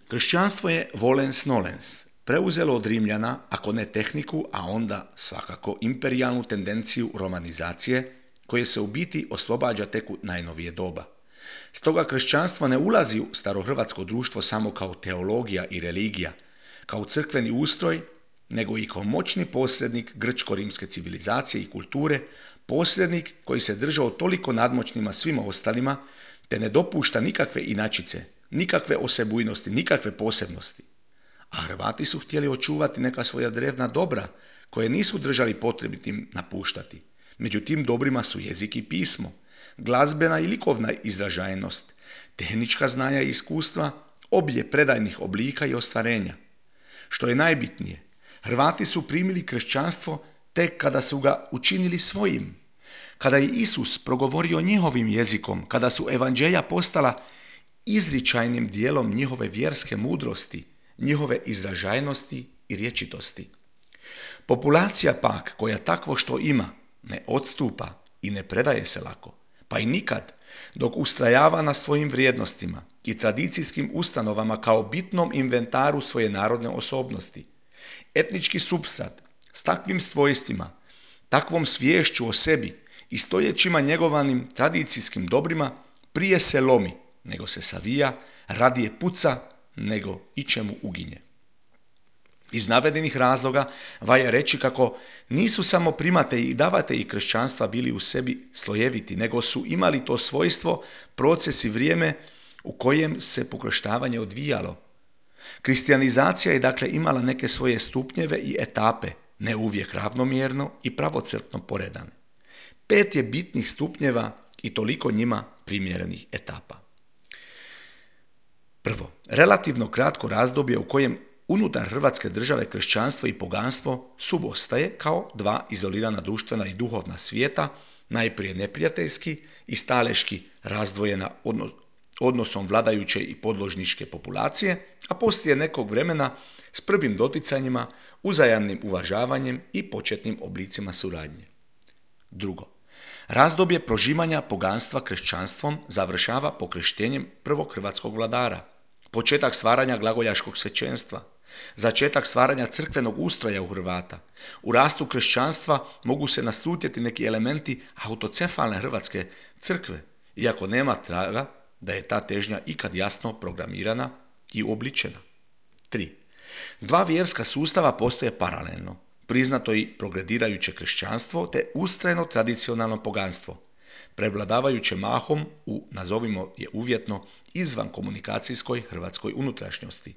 Kršćanstvo je volens nolens, preuzelo od Rimljana, ako ne tehniku, a onda svakako imperijalnu tendenciju romanizacije, koje se u biti oslobađa tek u najnovije doba. Stoga kršćanstvo ne ulazi u starohrvatsko društvo samo kao teologija i religija, kao crkveni ustroj, nego i kao moćni posrednik grčko-rimske civilizacije i kulture, posrednik koji se držao toliko nadmoćnima svima ostalima, te ne dopušta nikakve inačice, nikakve osebujnosti, nikakve posebnosti. A Hrvati su htjeli očuvati neka svoja drevna dobra, koje nisu držali potrebitim napuštati. Među tim dobrima su jezik i pismo, glazbena i likovna izražajnost, tehnička znanja i iskustva, obilje predajnih oblika i ostvarenja. Što je najbitnije, Hrvati su primili kršćanstvo tek kada su ga učinili svojim. Kada je Isus progovorio njihovim jezikom, kada su evanđelja postala izričajnim dijelom njihove vjerske mudrosti, njihove izražajnosti i rječitosti. Populacija pak koja takvo što ima ne odstupa i ne predaje se lako, pa i nikad, dok ustrajava na svojim vrijednostima i tradicijskim ustanovama kao bitnom inventaru svoje narodne osobnosti. Etnički supstrat s takvim svojstvima, takvom sviješću o sebi i stoljećima njegovanim tradicijskim dobrima prije se lomi, nego se savija, radije puca, nego ičemu uginje. Iz navedenih razloga valja reći kako nisu samo primatelji i davatelji kršćanstva bili u sebi slojeviti, nego su imali to svojstvo, proces i vrijeme u kojem se pokrštavanje odvijalo. Kristijanizacija je dakle imala neke svoje stupnjeve i etape, ne uvijek ravnomjerno i pravocrtno poredane. 5 je bitnih stupnjeva i toliko njima primjerenih etapa. Prvo, relativno kratko razdoblje u kojem unutar Hrvatske države kršćanstvo i poganstvo subostaje kao dva izolirana društvena i duhovna svijeta, najprije neprijateljski i staleški razdvojena odnosom vladajuće i podložničke populacije, a poslije nekog vremena s prvim doticanjima, uzajamnim uvažavanjem i početnim oblicima suradnje. Drugo, razdoblje prožimanja poganstva kršćanstvom završava pokrštenjem prvog hrvatskog vladara, početak stvaranja glagoljaškog svećenstva, začetak stvaranja crkvenog ustroja u Hrvata. U rastu kršćanstva mogu se naslutiti neki elementi autocefalne hrvatske crkve, iako nema traga da je ta težnja ikad jasno programirana i uobličena. 3. Dva vjerska sustava postoje paralelno, priznato i progredirajuće kršćanstvo te ustrajno tradicionalno poganstvo, prevladavajuće mahom u, nazovimo je uvjetno, izvan komunikacijskoj hrvatskoj unutrašnjosti,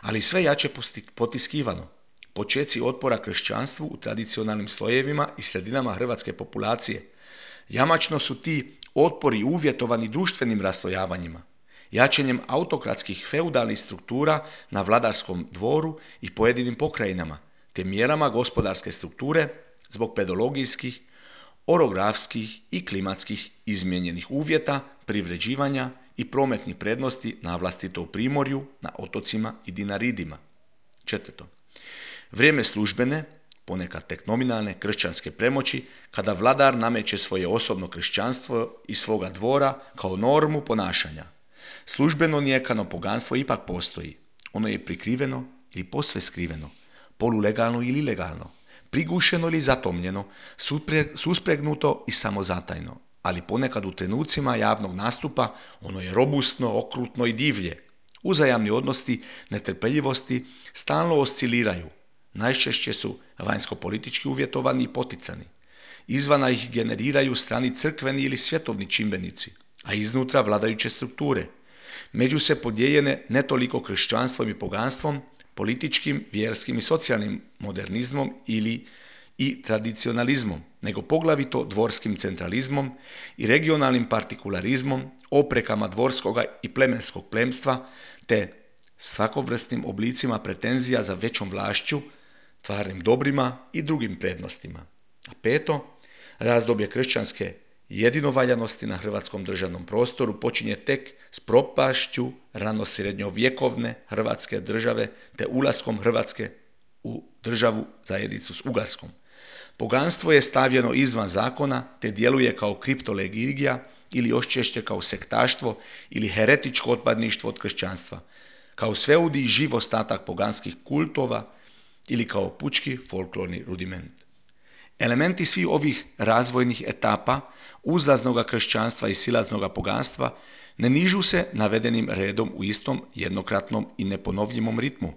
ali sve jače potiskivano. Počeci otpora kršćanstvu u tradicionalnim slojevima i sredinama hrvatske populacije. Jamačno su ti otpori uvjetovani društvenim raslojavanjima, jačanjem autokratskih feudalnih struktura na vladarskom dvoru i pojedinim pokrajinama, te mjerama gospodarske strukture zbog pedologijskih, orografskih i klimatskih izmijenjenih uvjeta, privređivanja i prometnih prednosti na vlastito u primorju, na otocima i dinaridima. 4. Vrijeme službene, ponekad tek nominalne kršćanske premoći, kada vladar nameće svoje osobno kršćanstvo iz svoga dvora kao normu ponašanja. Službeno nijekano poganstvo ipak postoji. Ono je prikriveno ili posve skriveno, polulegalno ili ilegalno, prigušeno ili zatomljeno, suspregnuto i samozatajno, ali ponekad u trenucima javnog nastupa ono je robustno, okrutno i divlje. Uzajamni odnosi netrpeljivosti stalno osciliraju. Najčešće su vanjsko-politički uvjetovani i poticani. Izvana ih generiraju strani crkveni ili svjetovni čimbenici, a iznutra vladajuće strukture. Među se podijeljene ne toliko kršćanstvom i poganstvom, političkim, vjerskim i socijalnim modernizmom ili i tradicionalizmom, nego poglavito dvorskim centralizmom i regionalnim partikularizmom, oprekama dvorskoga i plemenskog plemstva, te svakovrsnim oblicima pretenzija za većom vlašću, tvarnim dobrima i drugim prednostima. A 5. razdoblje kršćanske jedinovaljanosti na hrvatskom državnom prostoru počinje tek s propašću ranosrednjovjekovne hrvatske države te ulaskom Hrvatske u državu zajednicu s Ugarskom. Poganstvo je stavljeno izvan zakona te djeluje kao kriptolegija ili još češće kao sektaštvo ili heretičko otpadništvo od kršćanstva. kao sveudi i živ ostatak poganskih kultova ili kao pučki folklorni rudiment. Elementi svih ovih razvojnih etapa uzlaznoga kršćanstva i silaznoga poganstva ne nižu se navedenim redom u istom jednokratnom i neponovljivom ritmu,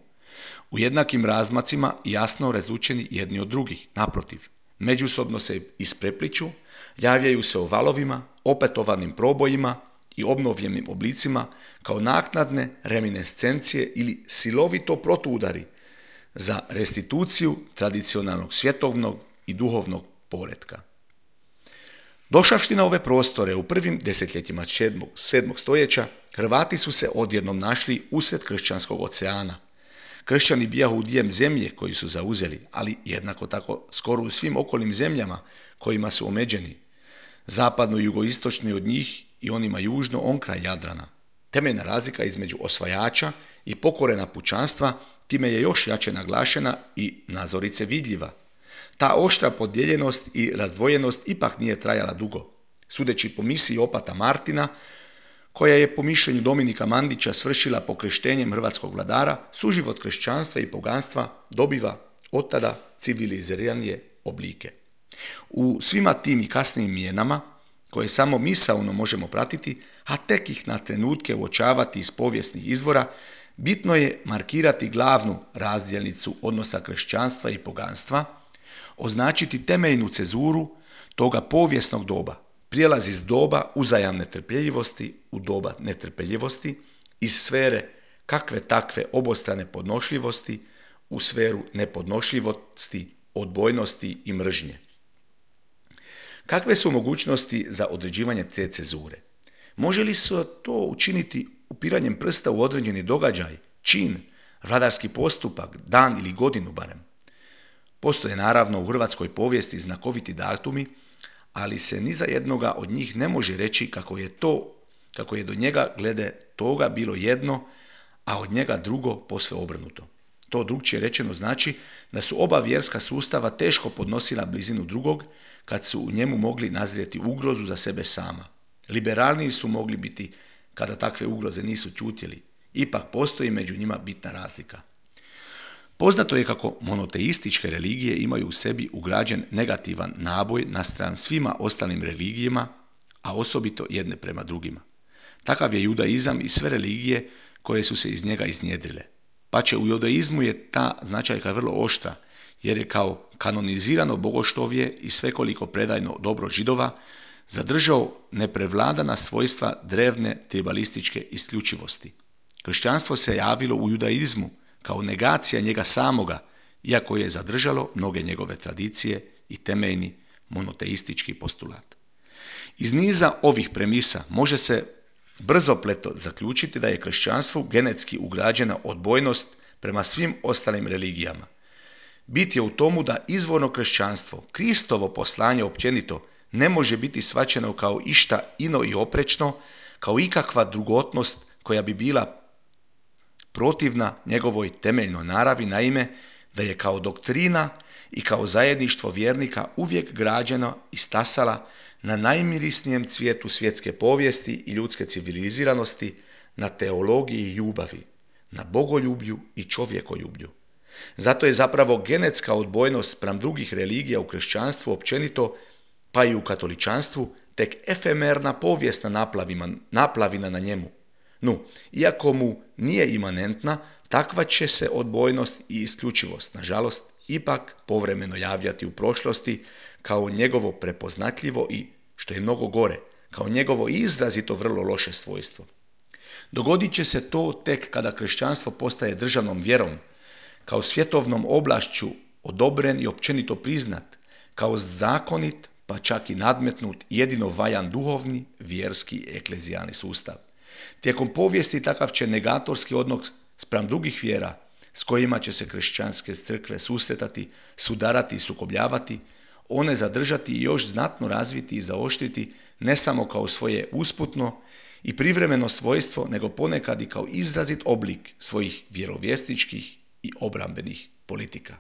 u jednakim razmacima jasno razlučeni jedni od drugih. Naprotiv, međusobno se isprepliču, javljaju se u valovima, opetovanim probojima i obnovljenim oblicima kao naknadne reminiscencije ili silovito protuudari za restituciju tradicionalnog svjetovnog i duhovnog poretka. Došavši na ove prostore u prvim desetljećima 7. stoljeća, Hrvati su se odjednom našli usred kršćanskog oceana. Kršćani bijahu udjeljem zemlje koju su zauzeli, ali jednako tako skoro u svim okolnim zemljama kojima su omeđeni, zapadno i jugoistočni od njih i onima južno onkraj Jadrana. Temeljna razlika između osvajača i pokorena pučanstva time je još jače naglašena i nazorice vidljiva. Ta oštra podijeljenost i razdvojenost ipak nije trajala dugo. Sudeći po misiji opata Martina, koja je po mišljenju Dominika Mandića svršila pokreštenjem hrvatskog vladara, suživot kršćanstva i poganstva dobiva od tada civiliziranije oblike. U svima tim i kasnijim mijenama, koje samo misaono možemo pratiti, a tek ih na trenutke uočavati iz povijesnih izvora, bitno je markirati glavnu razdjelnicu odnosa kršćanstva i poganstva, označiti temeljnu cezuru toga povijesnog doba, prijelaz iz doba uzajamne trpeljivosti u doba netrpeljivosti, iz sfere kakve takve obostrane podnošljivosti u sferu nepodnošljivosti, odbojnosti i mržnje. Kakve su mogućnosti za određivanje te cezure? Može li se to učiniti upiranjem prsta u određeni događaj, čin, vladarski postupak, dan ili godinu barem? Postoje naravno u hrvatskoj povijesti znakoviti datumi, ali se ni za jednoga od njih ne može reći kako je do njega glede toga bilo jedno, a od njega drugo posve obrnuto. To drukčije rečeno znači da su oba vjerska sustava teško podnosila blizinu drugog kad su u njemu mogli nazrijeti ugrozu za sebe sama. Liberalniji su mogli biti kada takve ugroze nisu ćutjeli. Ipak postoji među njima bitna razlika. Poznato je kako monoteističke religije imaju u sebi ugrađen negativan naboj naspram svima ostalim religijama, a osobito jedne prema drugima. Takav je judaizam i sve religije koje su se iz njega iznjedrile. Pače u judaizmu je ta značajka vrlo oštra, jer je kao kanonizirano bogoštovje i svekoliko predajno dobro Židova zadržao neprevladana svojstva drevne tribalističke isključivosti. Kršćanstvo se javilo u judaizmu kao negacija njega samoga, iako je zadržalo mnoge njegove tradicije i temeljni monoteistički postulat. Iz niza ovih premisa može se brzopleto zaključiti da je kršćanstvu genetski ugrađena odbojnost prema svim ostalim religijama. Bit je u tomu da izvorno kršćanstvo, Kristovo poslanje općenito, ne može biti shvaćeno kao išta ino i oprečno, kao ikakva drugotnost koja bi bila protivna njegovoj temeljnoj naravi, naime da je kao doktrina i kao zajedništvo vjernika uvijek građeno i stasala na najmirisnijem cvijetu svjetske povijesti i ljudske civiliziranosti, na teologiji i ljubavi, na bogoljublju i čovjekoljublju. Zato je zapravo genetska odbojnost spram drugih religija u kršćanstvu općenito, pa i u katoličanstvu, tek efemerna povijesna naplavina na njemu. Iako mu nije imanentna, takva će se odbojnost i isključivost, nažalost, ipak povremeno javljati u prošlosti kao njegovo prepoznatljivo i, što je mnogo gore, kao njegovo izrazito vrlo loše svojstvo. Dogodit će se to tek kada kršćanstvo postaje državnom vjerom, kao svjetovnom oblašću odobren i općenito priznat, kao zakonit, pa čak i nadmetnut jedino valjan duhovni, vjerski, eklezijalni sustav. Tijekom povijesti takav će negatorski odnos spram drugih vjera, s kojima će se kršćanske crkve susretati, sudarati i sukobljavati, one zadržati i još znatno razviti i zaoštriti ne samo kao svoje usputno i privremeno svojstvo, nego ponekad i kao izrazit oblik svojih vjerovjesničkih i obrambenih politika.